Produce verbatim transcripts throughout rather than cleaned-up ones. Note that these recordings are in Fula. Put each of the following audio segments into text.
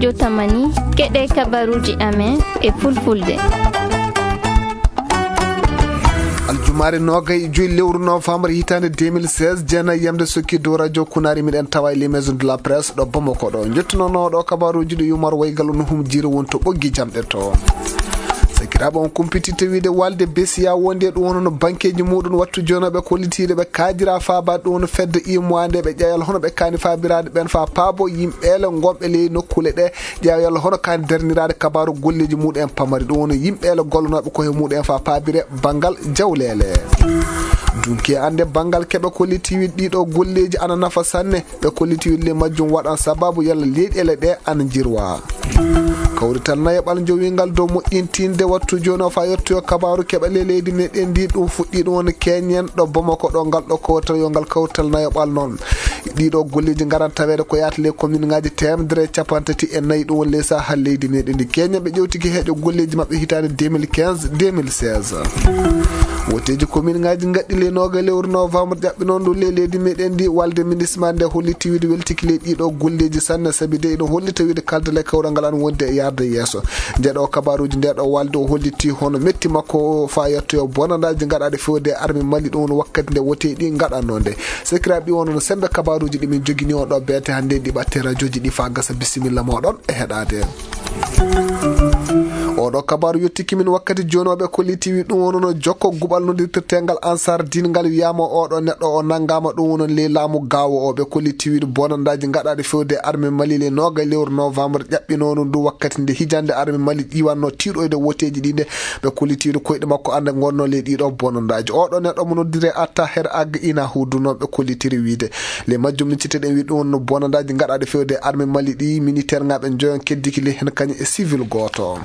Jotamani, keɗe kabaruuji amen e fulfulde. Aljumaare noogay e joy lewru novembre hitaande deux mille seize, jeenayi yamde sokki dow radio Kunaari, miɗen tawa e les maisons de la presse ɗo Bamako ɗo. Jottunooɗo kabaruuji ɗi Umar Waygal no hum jiiri won to ɓoggi jamɗe to. Sakiraaɓe, on kumpititte wiide walde besiya wonde ɗum wonno bankeeji muɗum wattu jonooɓe kollitiiɗe ɓe kaajira faaba ɗum wonno fedde imoinde ɓe ƴeewal hono ɓe kaani faabiraade ɓen fa paabo yimɓeele gonɓe ley nokkuule ɗe ƴeewal hono kaani darniraade kabaaru golleeji muɗum en pamari ɗum wonno yimɓeele gollonooɓe ko he muɗum en fa paabire banngal jawleele. Dunki e annde banngal keɓe kollitiiɗe ɗiɗo golleeji ana nafa sanne. Ɓe kolliti wille majjum waɗan sababu yalla leyɗeele ɗe ana jirwa. Kawrital nayaɓal jowingal dow moƴƴintinde wattu jooni o fa yettoyo kabaaru keɓale leydi meɗen ndi ɗum fuɗɗi ɗum woni keñen ɗo Bamako ɗo ngal ɗo kawrital yo ngal kawrital nayaɓal noon. Ɗiɗo golleeji ngaran taweede ko yaata ley komin ngaji teemedere e capantati e nayi ɗum woni ley saha leydi meɗen ndi keñen ɓe ƴewtiki heeƴo golleeji maɓɓe hitaande deux mille quinze deux mille seize. Woteeji komin ngaji ngaɗɗi ley nooga lewru novembre ɓe noon ɗo ley leydi meɗen ndi walde ministre ma nde holliti wiide weltiki ley ɗiɗo golleeji sanne sabi de ino hollita wiide kaldale kawral ngal an wonde e yarde yeeso. Nde ɗo kabaruuji nde ɗo walde o holliti hono metti makko fa yettoyo bonandaji gaɗaɗe fewde e arme mali ɗum woni wakkati nde wote ɗi gaɗanno nde. Sekiraɓe ɗi wonno sembe kabaruuji ɗi min jogini on ɗo beete hannde ɗi ɓatte radioji ɗi fa gasa bisimilla moɗon e heɗade. Oɗo kabaru yettiki min wakkati joni o ɓe kolliti wi ɗum wonono jokko guɓal nodirtirtengal ansar din ngal wiyama oɗo neɗɗo o nangama ɗum wonon ley laamu gawo o ɓe kolliti wiɗo bonandaji gaɗaɗi fewde arme mali le noga lewru novembre ƴaɓɓinono ndu wakkati nde hijande arme mali ƴiwanno tiɗoyde woteji ɗi nde ɓe kolliti wiɗo koyɗe makko ande gonno ley ɗiɗo bonandaji oɗo neɗɗo mo noddire atta her ag ina hudu noon ɓe kollitiri wiide. Le majjum ni citeɗen wi ɗum wonno bonandaji gaɗaɗi fewde arme mali ɗi militaire ngaɓe joyon keddiki le hen kañum e civil goto.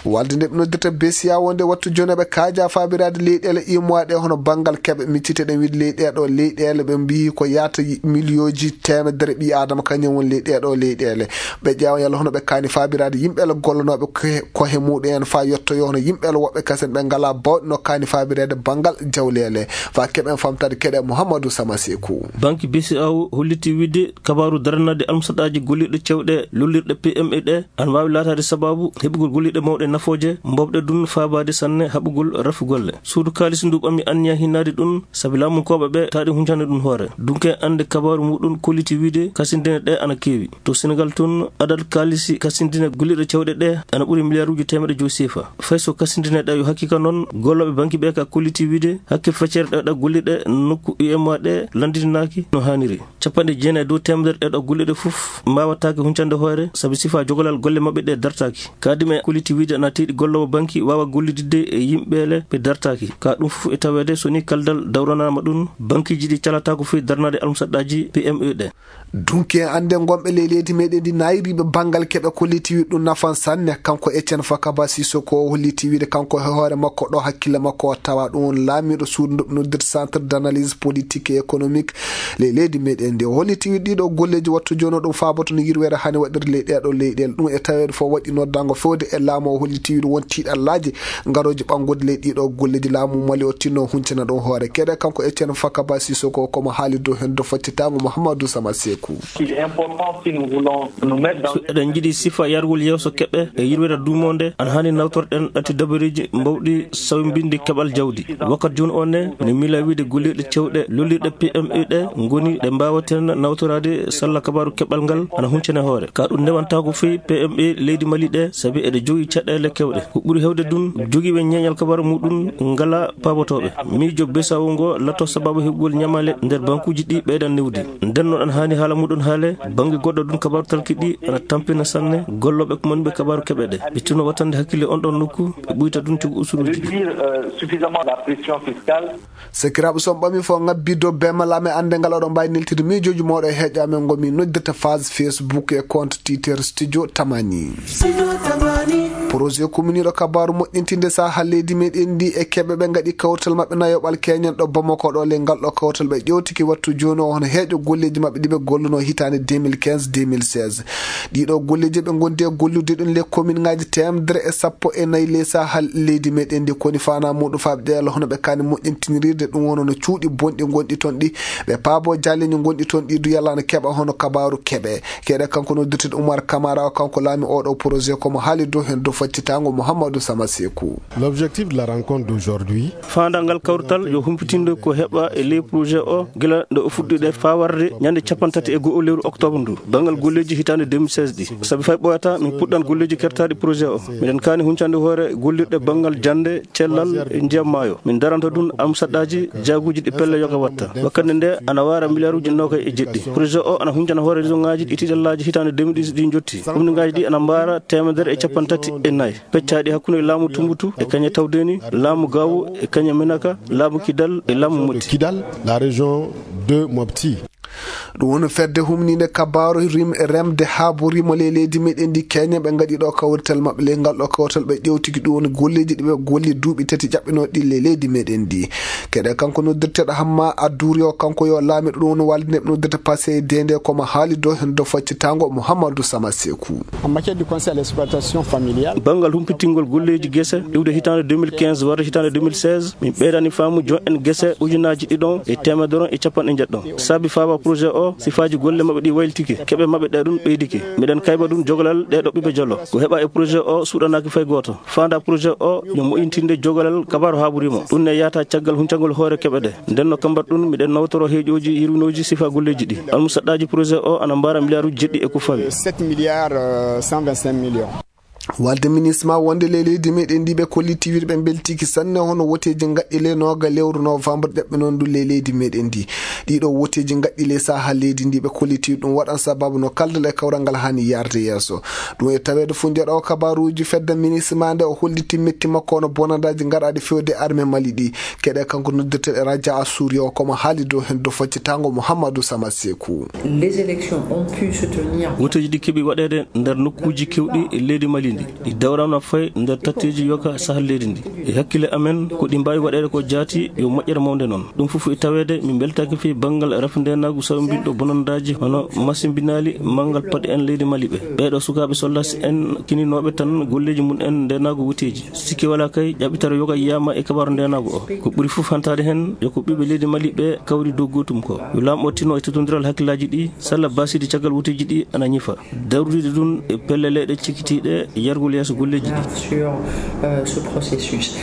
Walde nde ɓe noddirta besiya wonde wattu joni ɓe kaaja fabirade leyɗele imowa ɗe hono banngal keɓe micciteɗen wiide leyɗeɗo leyɗele ɓe mbiyi ko yaata miliyonji temedere ɓi adama kañum woni leyɗeɗo leyɗele. Ɓe ƴeewa yalla hono ɓe kaani fabirade yimɓele gollanoɓe kohe muɗum en fa yettoyo hono yimɓele woɓɓe kasen ɓe ngala bawɗe no kaani fabirede banngal jawlele. Fa keɓen famtade keɗe Mouhamadou Samasekou. Banque besiya o holliti wiide kabaru daranade almusaɗaji gollirɗe cewɗe lollirɗe pme ɗe ana wawi latade sababu heɓugol gollirɗe mawɗe nafooje mbowɗe ɗum faabaade sanne haɓugol rafi golle. Suudu kaalisi ndu ɓammi anniya hinnaade ɗum sabi laamunkooɓe ɓe taari huncande ɗum hoore. Dunke annde kabaaru muɗum kolliti wiide kasindine ɗe ana keewi. To Senegal tun adad kaalisi kasindine gollirɗe cewɗe ɗe ana ɓuri miliyaruuji teemeɗe joyi sefa. Fay so kasindine ɗe yo hakkika noon gollooɓe banki ɓe ka kolliti wiide hakke feccere ɗe ɗa gollirɗe nokku U M A ɗe lanndinaki no haaniri. Capanɗe jeenayi dow teemedere ɗeɗo gollirɗe fof mbawataake huncande hoore sabi sifa jogolal golle maɓɓe ɗe dartaaki. Kadi ɓe kolliti wiide ana teeɗi golloowo banki waawa gollididde e yimɓeele ɓe dartaaki. Ka ɗum fof e taweede so ni kaldal dawranama ɗum, bankiji ɗi calataako fof darnade almusaɗɗaji P M E ɗe. Dunki en annde gonɓe ley leydi meɗen ndi nayriɓe banngal keɓe kolliti wiide ɗum nafan sanne. Kanko Etienne Fakaba Sissoko o holliti wiide kanko e hoore makko ɗo hakkille makko o tawa ɗum woni laamiɗo suudu ndu ɓe noddirta centre d'analyse politique et économique ley leydi meɗen ndi. O holliti wiide ɗiɗo golleji wattu joni o ɗum faaboto no yirwere hani waɗiri ley ɗeɗo leyɗele ɗum e taweede fof waɗi noddango fewde e laamu o holliti wiide won tiiɗallaji ngaroji ɓanngude ley ɗiɗo golleji laamu mali o tinno huncina ɗum hoore keɗe kanko Etienne Fakaba Sissoko komo haali dow hen do foccitaango Mouhamadou Sama Sekou. Il est important si nous voulons nous mettre dans so eɗen jiɗi sifa yargol yeeso keɓe e yirwere duumonde ana hani nawtorɗen ɗatti dabareji mbawɗi sawbinde keɓal jawdi. Wakkat joni o ne ne mila wiide gollirɗe cewɗe lollirɗe P M E ɗe ngoni ɗe mbawaten nawtorade salla kabaru keɓal ngal ana huncene hoore ka ɗum newantako fii P M E leydi mali ɗe sabi eɗe jogi caɗele kewɗe ko ɓuri hewde ɗum jogiɓe ñeeñal kabaru muɗum ngala pabotoɓe. Miijo besawo ngo latto sababu heɓugol ñamale nder bankuji ɗi ɓeydan newdi. Nden noon ana hani haala muɗum haale bannge goɗɗo ɗum kabaru talki ɗi ana tampina sanne gollooɓe ko moni ɓe kabaru keɓe ɗe ɓe tinno wattande hakkille on ɗon nokku ɓe ɓuyta ɗum coggu usuruji ɗi. Réduire, euh, suffisamment la pression fiscale. Sakiraaɓe, so on ɓami fof ngabbi dow bemalaame annde ngal oɗon mbawi neltude miijoji moɗo e heeƴa men ngomi noddirta phase Facebook e compte Twitter Studio Tamani. Studio Tamani. Projet commune ɗo kabaaru moƴƴintinde saha leydi meɗen ndi e keɓe ɓe ngaɗi kawtal maɓɓe nayoɓal keñen ɗo Bamako ɗo. Le ngal ɗo kawtal ɓe ƴewtiki wattu jooni o hono heeƴo golleeji maɓɓe ɗi ɓe golluno hitaande deux mille quinze deux mille seize. Ɗiɗo golleeji ɓe ngondi e gollude ɗum le commune ngaji teemedere e sappo e nayi le saha leydi meɗen ndi, koni fana muɗum faaɓe ɗeela hono ɓe kani moƴƴintinirirde ɗum wono no cuuɗi bonɗi gonɗi toon ɗi, ɓe paabo jaleñi gonɗi toon ɗi du yalla na keɓa hono kabaaru keɓe. Keɗe kanko noddirteɗo Oumar Camara o, kanko laami oɗo projet komo haali dow heen dow faccitango Mouhamadou Sama Sekou. L'objectif de la rencontre d'aujourd'hui. Faandaangal kawrital yo humpitinde ko heɓa e ley projet o gila nde o fuɗɗiɗe faa warde ñande capanɗe tati e go'o lewru octobre ndu. Banngal golleeji hitaande deux mille seize ɗi. Sabi fay ɓooyata min puɗɗan golleeji kertaaɗi projet o. Miɗen kaani huncande hoore gollirɗe banngal jannde, cellal e ndiyam maayo. Min daranta ɗum almusaɗɗaaji jaaguuji ɗi pelle yoga watta. Wakkati nde ana waara miliyaaruuji noogay e jeɗɗi. Projet o ana huncana hoore région ŋaaji ɗi tiɗallaaji hitaande deux mille dix ɗi njotti. Commune ŋaaji ɗi ana mbaara teemedere e capanɗe tati e nayi. Peccaaɗi hakkunde laamu Tumbutu e kañe Tawdeni, laamu Gawo e kañe Menaka, laamu Kidal e laamu Mopti. Kidal, la région de Mopti. Ɗum woni fedde humniinde kabaaru rim-, remde haabori mo ley leydi meɗen ndi keñe ɓe ngaɗi ɗo kawrital maɓɓe. Ley ngal ɗo kawrital ɓe ƴewtiki ɗum woni golleeji ɗi ɓe golli duuɓi tati ƴaɓɓinooɗi ɗi ley leydi meɗen ndi. Keɗe kanko noddirteɗo Hamma Adduri o, kanko yo laamiɗo ɗum woni walde nde ɓe noddirta Passé Dende komo haali dow heen dow faccitango Mouhamadou Sama Sekou. En matière de conseil à l'exploitation familiale. Banngal humpitingol golleeji gese iwde hitaande deux mille quinze warde hitaande deux mille seize, min ɓeydani faamu joom en gese ujunaaji ɗiɗon e teemedere e capanɗe njeɗɗon. Saabi faaba projet o, sifaaji golle maɓɓe ɗi waylitike, keɓe maɓɓe ɗe ɗum ɓeydike. Miɗen kayba ɗum jogalal ɗe ɗo ɓiɓɓe jolo. Ko heɓa e projet o suuɗanaaki fay gooto. Faanda projet o yo moƴƴintinde jogalal kabaaru haabori mo. Ɗum ne yahata caggal huncagol hoore keɓe ɗe. Nden no kambat ɗum, miɗen nawtoro heeƴooji yirwinooji sifa golleeji ɗi. Almusaɗɗaaji projet o ana mbaara miliyaaruuji jeɗɗi e ko fawi. Sept milliards, euh, cent vingt-cinq millions. Walde ministre ma wonde ley leydi meɗen ndi ɓe kolliti wiide ɓe mbeltiki sanne hono woteeji ngaɗɗi ley nooga lewru novembre ƴaɓɓe noon ndu ley leydi meɗen ndi. Ɗiɗo woteeji ngaɗɗi ley saha leydi ndi ɓe kolliti ɗum waɗan sababu no kaldal e kawral ngal hani yarde yeeso. Ɗum e taweede fof njeɗo kabaruuji fedde ministre ma nde o holliti metti makko hono bonandaaji ngaɗaaɗi fewde armée Mali ɗi. Keɗe kanko noddirteɗo Raja Assouri o komo haali dow heen dow faccitango Mouhamadou Sama Sekou. Les élections ont pu se tenir. Woteeji ɗi keɓi waɗeede nder nokkuuji kewɗi e leydi Mali ndi. Ɗi dawrama fayi nder tatteeji yoga sahal leydi ndi. E hakkille amen, ko ɗi mbaawi waɗeede ko jaati yo moƴƴere mawnde noon. Ɗum fof e taweede, min mbeltaaki fii banngal rafi ndeenaagu sawmbinɗo bonandaaji hono masimbinaali manngal paɗe en leydi Mali ɓe. Ɓeeɗo sukaaɓe soldaasi en kininooɓe tan golleeji mum en ndeenaagu woteeji. Sikke walaa kay, ƴaɓɓitare yoga yiyaama e kabaaru ndeenaagu o. Ko ɓuri fof hantaade heen, yo ko ɓiɓɓe leydi Mali ɓe kawri dow gootum ko. Yo laamɗo tinno e teddondiral hakkillaaji ɗi, salla baasiiɗi caggal woteeji ɗi ana ñifa. Daroriiɗe ɗum e pelle leyɗe cikitiiɗe yargol yeeso golleeji ɗi. Sur, euh, ce processus.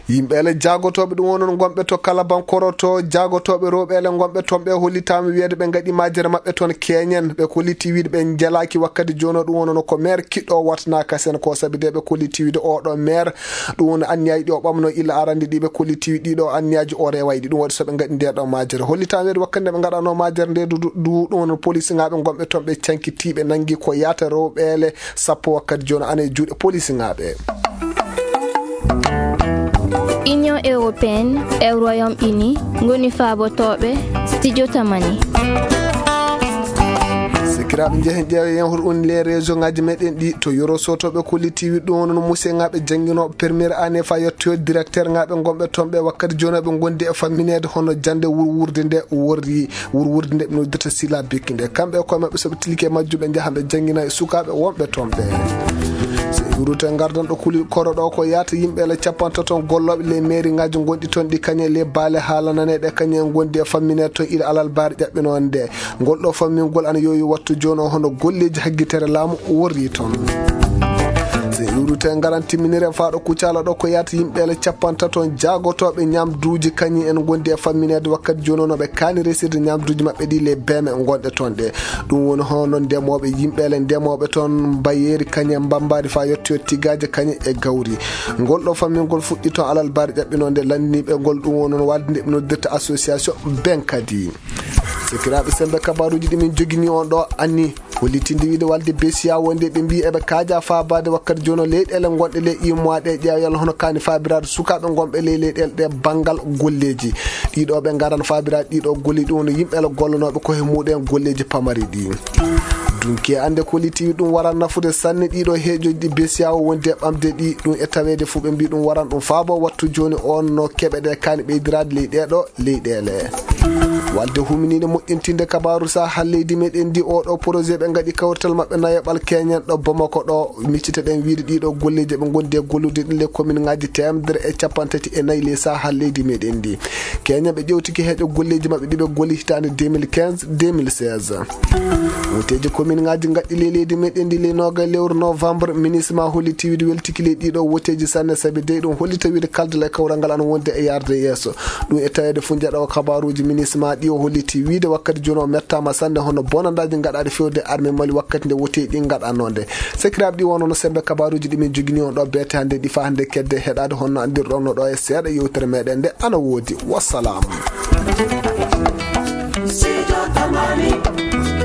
Yimɓe ele jaagotooɓe ɗum wonon gonɓe to Kalabankoro to jaagotooɓe rewɓe ele gonɓe toon ɓe hollitaama wiyeede ɓe ngaɗi majere maɓɓe toon keeñen. Ɓe kolliti wiide ɓe njelaaki wakkati jooni o ɗum wonono ko maire kiɗɗo o watanaaka seen ko sabi de ɓe kolliti wiide oɗo maire ɗum woni anniyaaji ɗi o ɓamno illa arande ɗi ɓe kolliti wiide ɗiɗo anniyaaji o rewaay ɗi. Ɗum waɗi so ɓe ngaɗi nde ɗo majere. Hollitaama wiyeede wakkati nde ɓe ngaɗano majere nde du, du, du, ɗum wono police ŋaaɓe gonɓe toon ɓe cankiti ɓe nangi ko yaata rewɓe ele sappo wakkati jooni ana e juuɗe police ŋaaɓe. Union européenne e Royaume-Uni ngoni faabotooɓe studio Tamani. Sikiraaɓe, njehen ƴeewen hoto on les région ŋaaji meɗen ɗi to Yoro Soto ɓe kolliti wiide ɗum wono no musee ŋaaɓe jannginooɓe première année fa yettoyo directeur ŋaaɓe gonɓe toon ɓe wakkati jooni ɓe ngondi e fammineede hono jannde wurwurde nde worri. Wurwurde nde ɓe noddata Sila Bekki nde. Kamɓe e koye maɓɓe, so ɓe tilike majjum, ɓe njaha ɓe janngina e sukaaɓe wonɓe toon ɓe. So en ruute ngardan ɗo kuli koro ɗo ko yaata yimɓe ele capantato gollooɓe les mairie ŋaaji gonɗi toon ɗi kañe les baale haalananeeɗe kañe en gondi e fammine toon ila alal baare ƴaɓɓinoonde. Ngol ɗo fammingol ana yowi wattu jooni o hono golleeji haggitere laamu worri toon. So en ruute ngaran timminire faaɗo Kucala ɗo ko yaata yimɓe ele capantato jaagotooɓe ñamduuji kañi en gondi e fammineede wakkati jooni o no ɓe kaani resirde ñamduuji maɓɓe ɗi les beme gonɗe toon ɗe. Ɗum woni hono ndemooɓe, yimɓe ele ndemooɓe toon mbayeeri kañe mbambaari faa yettoyo tigaaje kañe e gawri. Ngol ɗo fammingol fuɗɗi toon alal baare ƴaɓɓinoonde lanndiniiɓe ngol ɗum woni no walde nde ɓe noddirta association Benkadi. Sikiraaɓe, semmbe kabaaruuji ɗi min jogini on ɗo anni hollitinde wiide walde besiya wonde ɓe mbii eɓe kaaja faabaade wakkati jooni o leyɗeele gonɗe ley immaaɗe ƴeewa yalla hono kaani faabiraade sukaaɓe gonɓe ley leyɗeele ɗe banngal golleeji. Ɗiɗo ɓe ngaran faabiraade ɗiɗo golleeji ɗum woni yimɓe ele gollanooɓe ko he muɗen golleeji pamari ɗi. Dunki e annde ko holiti ɗum waran nafude sanne ɗiɗo heejoji ɗi besiyawo wondi e ɓamde ɗi ɗum e taweede fuu ɓe mbi ɗum waran ɗum faabo wattu jooni on no keɓe ɗe kaani ɓeydiraade ley ɗeeɗo leyɗeele. Walde huminiinde moƴƴintinde kabaaru saha leydi meɗen ndi oɗo projet ɓe ngaɗi kawrital maɓɓe nayoɓal keñen ɗo Bamako ɗo miccite ɗen wiide ɗiɗo golleji ɓe gondi e gollude ɗin le commune ngaji temedere e capanɗe tati e nayi ley saha leydi meɗen ndi. Keñen ɓe ƴewtiki heeƴo golleji maɓɓe ɗi ɓe golli hitaande deux mille quinze deux mille seize. Woteeji komin ngaji ngaɗɗi ley leydi meɗen ndi ley noga lewru novembre ministre ma holli tiwide weltiki ley ɗiɗo woteeji sanne sabi dey ɗum holli tawiide kaldal e kawral ngal ana wonde e yarde yeeso. Ɗum e taweede fof njaɗo kabaruji ministre ma ɗi o holli tiwide wakkati jooni o mettama sanne hono bonandaji ngaɗaɗi fewde arme mali wakkati nde woteeji ɗi ngaɗanode. Sakiraaɓe ɗi wonno no sembe kabaruji ɗi min jogini on ɗo beete hannde ɗi fa hannde kedde heɗade honno andirɗon no ɗo e seeɗa yewtere meɗen nde ana woodi. Wassalam. Sijo Tamani.